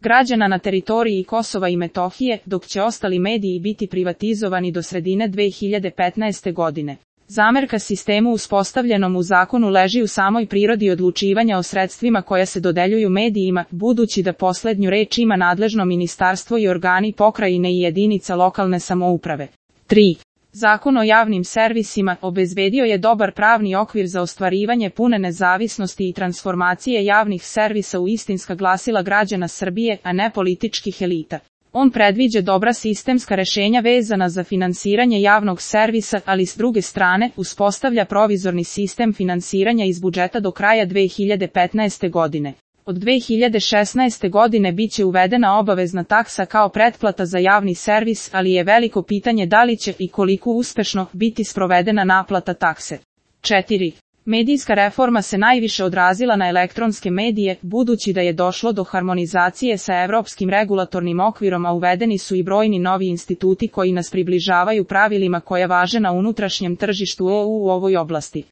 građana na teritoriji Kosova i Metohije, dok će ostali mediji biti privatizovani do sredine 2015. godine. Zamerka sistemu uspostavljenom u zakonu leži u samoj prirodi odlučivanja o sredstvima koja se dodeljuju medijima, budući da poslednju reč ima nadležno ministarstvo i organi pokrajine i jedinica lokalne samouprave. 3. Zakon o javnim servisima obezbedio je dobar pravni okvir za ostvarivanje pune nezavisnosti i transformacije javnih servisa u istinska glasila građana Srbije, a ne političkih elita. On predviđa dobra sistemska rešenja vezana za finansiranje javnog servisa, ali s druge strane uspostavlja provizorni sistem finansiranja iz budžeta do kraja 2015. godine. Od 2016. godine biće uvedena obavezna taksa kao pretplata za javni servis, ali je veliko pitanje da li će i koliko uspešno biti sprovedena naplata takse. 4. Medijska reforma se najviše odrazila na elektronske medije, budući da je došlo do harmonizacije sa evropskim regulatornim okvirom, a uvedeni su i brojni novi instituti koji nas približavaju pravilima koja važe na unutrašnjem tržištu EU u ovoj oblasti.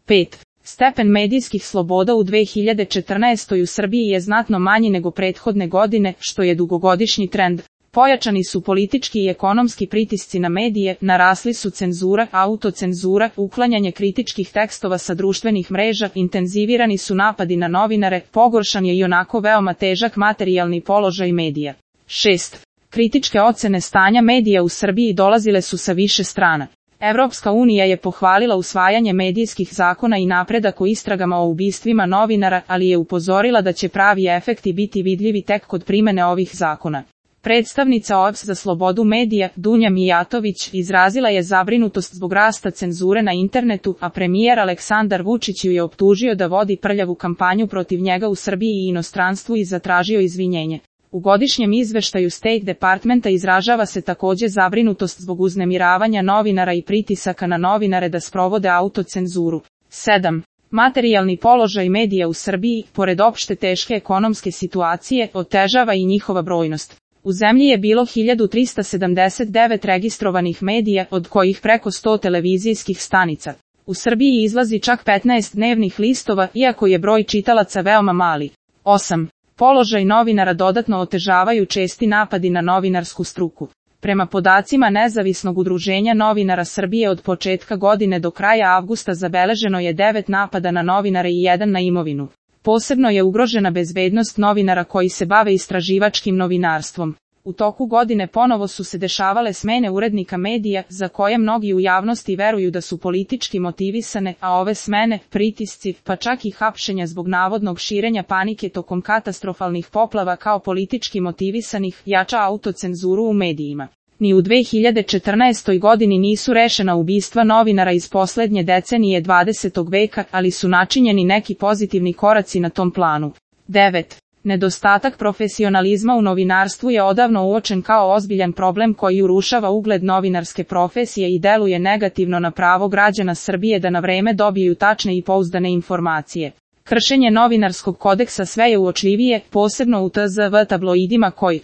5. Stepen medijskih sloboda u 2014. u Srbiji je znatno manji nego prethodne godine, što je dugogodišnji trend. Pojačani su politički i ekonomski pritisci na medije, narasli su cenzura, autocenzura, uklanjanje kritičkih tekstova sa društvenih mreža, intenzivirani su napadi na novinare, pogoršan je ionako veoma težak materijalni položaj medija. 6. Kritičke ocene stanja medija u Srbiji dolazile su sa više strana. Evropska unija je pohvalila usvajanje medijskih zakona i napredak o istragama o ubistvima novinara, ali je upozorila da će pravi efekti biti vidljivi tek kod primene ovih zakona. Predstavnica OEBS za slobodu medija, Dunja Mijatović, izrazila je zabrinutost zbog rasta cenzure na internetu, a premijer Aleksandar Vučić ju je optužio da vodi prljavu kampanju protiv njega u Srbiji i inostranstvu i zatražio izvinjenje. U godišnjem izveštaju State Departmenta izražava se takođe zabrinutost zbog uznemiravanja novinara i pritisaka na novinare da sprovode autocenzuru. 7. Materijalni položaj medija u Srbiji, pored opšte teške ekonomske situacije, otežava i njihova brojnost. U zemlji je bilo 1379 registrovanih medija, od kojih preko 100 televizijskih stanica. U Srbiji izlazi čak 15 dnevnih listova, iako je broj čitalaca veoma mali. 8. Položaj novinara dodatno otežavaju česti napadi na novinarsku struku. Prema podacima Nezavisnog udruženja novinara Srbije od početka godine do kraja avgusta zabeleženo je 9 napada na novinare i 1 na imovinu. Posebno je ugrožena bezbednost novinara koji se bave istraživačkim novinarstvom. U toku godine ponovo su se dešavale smene urednika medija, za koje mnogi u javnosti veruju da su politički motivisane, a ove smene, pritisci, pa čak i hapšenja zbog navodnog širenja panike tokom katastrofalnih poplava kao politički motivisanih, jača autocenzuru u medijima. Ni u 2014. godini nisu rešena ubistva novinara iz poslednje decenije 20. veka, ali su načinjeni neki pozitivni koraci na tom planu. 9. Nedostatak profesionalizma u novinarstvu je odavno uočen kao ozbiljan problem koji urušava ugled novinarske profesije i deluje negativno na pravo građana Srbije da na vreme dobiju tačne i pouzdane informacije. Kršenje novinarskog kodeksa sve je uočljivije, posebno u TZV tabloidima koji